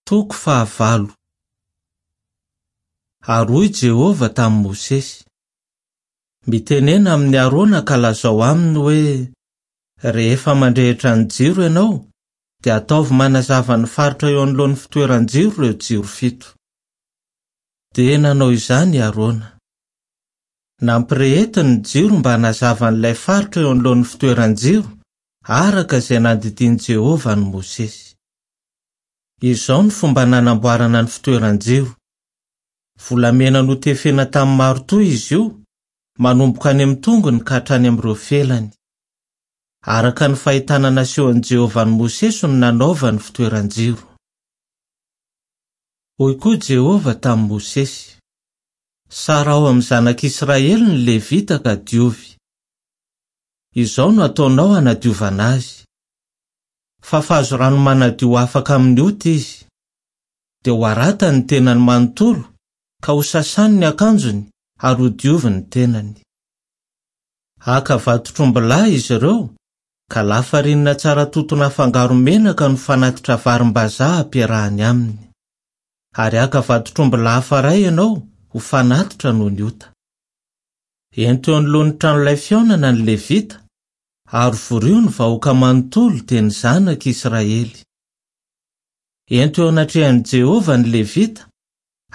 Toko fahavalo. Ary hoy Jehovah tamin'i Mosesy, Mitenena amin'i Arona ka lazao aminy hoe, 'Rehefa mandrehitra ny jiro ianao, dia ataovy manazava ny faritra eo anoloan'ny fitoeran-jiro ireo jiro fito. Dia nanao izany i Arona. Nampirehetiny ny jiro mba hanazava an'ilay faritra eo anoloan'ny fitoeran-jiro, araka izay nandidian'i Jehovah an'i Mosesy. Izao ny fomba nanamboarana ny fitoeran-jiro. Volamena notefena tamin'ny marotoa izy io, manomboka any amin'ny tongony ka hatrany amin'ireo felany. Araka ny fahitana nasehon'i Jehovah an'i Mosesy no nanaovany fitoeran-jiro. Hoy koa Jehovah tamin'i Mosesy, Saraho amin'ny zanak'Israely ny Levita ka diovy. Izao no hataonao hanadiovana azy. Fafazo rano manadio afaka amin'ny ota izy. Dia ho haratany ny tenany manontolo, ka hosasany ny akanjony ary hodioviny ny tenany. Haka vatotr'ombilahy izy ireo, ka lafarinina tsara totona afangaro menaka no fanatitra varim-bazaha ampiarahany aminy. Ary haka vatotr'ombilahy hafa iray ianao ho fanatitra noho ny ota. Ento eo anoloan'ny tranolay fihaonana ny Levita, ary vorio ny vahoaka manontolo, dia ny zanak'Israely. Ento eo anatrehan'i Jehovah ny Levita,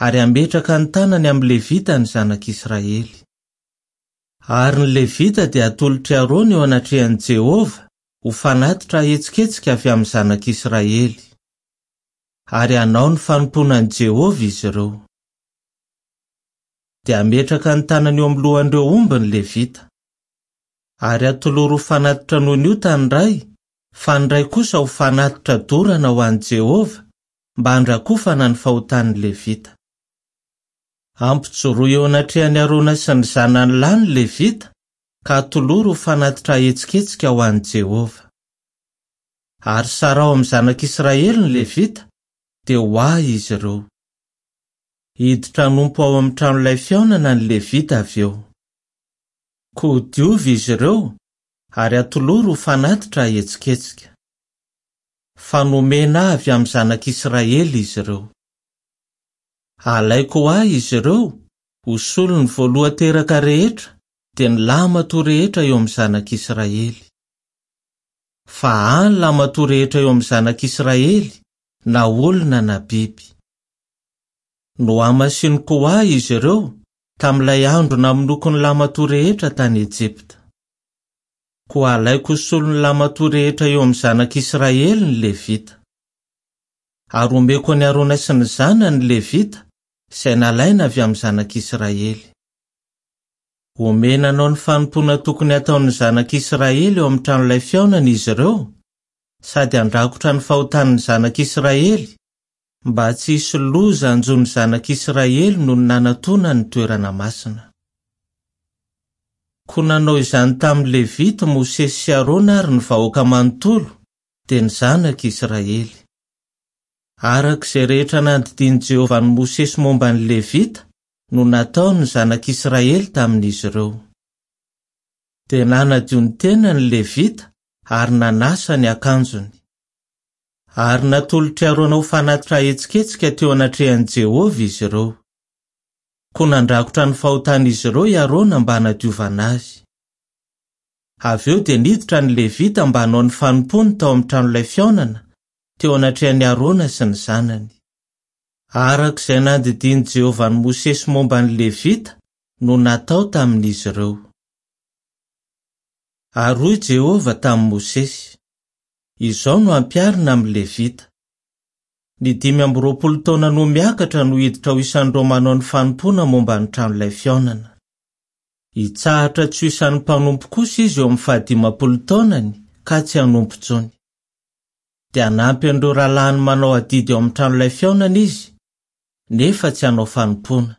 ary hametraka ny tanany amin'ny Levita ny zanak'Israely. Ary ny Levita dia hatolotr'i Arona eo anatrehan'i Jehovah ho fanatitra ahetsiketsika avy amin'ny zanak'Israely. Ary hanao ny fanompoana an'i Jehovah izy ireo. Dia hametraka ny tanany eo amin'ny lohan'ireo omby ny Levita. Ary atolory ho fanatitra noho ny ota ny iray, fa ny iray kosa ho fanatitra dorana ho an'i Jehovah, mba handrakofana ny fahotan'ny Levita. Ampijoroy eo anatrehan'i Arona sy ny zanany lahy ny Levita, ka atolory ho fanatitra ahetsiketsika ho an'i Jehovah. Ary saraho amin'ny zanak'Israely ny Levita, dia ho ahy izy ireo. Hiditra hanompo ao amin'ny tranolay fihaonana ny Levita avy eo. Koa diovy izy ireo ary atolory ho fanatitra ahetsiketsika. Fa nomena avy amin'ny zanak'Israely izy ireo. Alaiko ho ahy izy ireo ho solon'ny voalohan-teraka rehetra, dia ny lahimatoa rehetra eo amin'ny zanak'Israely. Fa ahy ny lahimatoa rehetra eo amin'ny zanak'Israely, na olona na biby. Nohamasiniko ho ahy izy ireo tamin'ilay andro namonoako ny lahimatoa rehetra tany Ejipta. Koa halaiko ho solon'ny lahimatoa rehetra eo amin'ny zanak'Israely ny Levita. Ary homeko an'i Arona sy ny zanany ny Levita, izay nalaina avy amin'ny zanak'Israely. Homena hanao ny fanompoana tokony hataon'ny zanak'Israely eo amin'ny tranolay fihaonana izy ireo, sady handrakotra ny fahotan'ny zanak'Israely, mba tsy hisy loza hanjo ny zanak'Israely nony nanatona ny toerana masina. Koa nanao izany tamin'ny Levita Mosesy sy Arona ary ny vahoaka manontolo, dia ny zanak'Israely. Araka izay rehetra nandidian'i Jehovah an'i Mosesy momba ny Levita no nataon'ny zanak'Israely tamin'izy ireo. Dia nanadio ny tenany ny Levita ary nanasa ny akanjony. Ary natolotr'i Arona ho fanatitra ahetsiketsika teo anatrehan'i Jehovah izy ireo. Koa nandrakotra ny fahotan'izy ireo i Arona mba hanadiovana azy. Avy eo dia niditra ny Levita mba hanao ny fanompoany tao amin'ny tranolay fihaonana, teo anatrehan'i Arona sy ny zanany. Araka izay nandidian'i Jehovah an'i Mosesy momba ny Levita no natao tamin'izy ireo. Ary hoy Jehovah tamin'i Mosesy, Izao no hampiharina amin'ny Levita, Ny 25 taona noho miakatra no hiditra ho isan'ireo manao ny fanompoana momba ny tranolay fihaonana. Hitsahatra tsy ho isan'ny mpanompo kosa izy eo amin'ny fahadimampolo taonany ka tsy hanompo intsony. Dia hanampy an'ireo rahalahiny manao adidy ao amin'ny tranolay fihaonana izy, nefa tsy hanao fanompoana.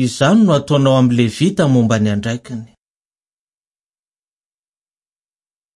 Izany no hataonao amin'ny Levita momba ny andraikiny.